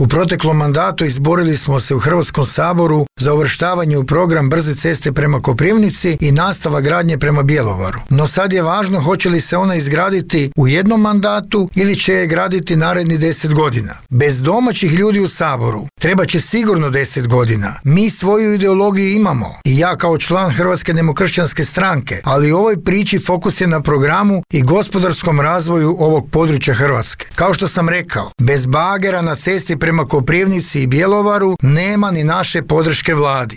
U proteklom mandatu izborili smo se u Hrvatskom saboru za uvrštavanje u program brze ceste prema Koprivnici i nastavak gradnje prema Bjelovaru. No sad je važno hoće li se ona izgraditi u jednom mandatu ili će je graditi naredni 10 godina. Bez domaćih ljudi u Saboru treba će sigurno 10 godina. Mi svoju ideologiju imamo i ja kao član Hrvatske demokršćanske stranke, ali u ovoj priči fokus je na programu i gospodarskom razvoju ovog područja Hrvatske. Kao što sam rekao, bez bagera na cesti prema Koprivnici i Bjelovaru nema ni naše podrške vladi.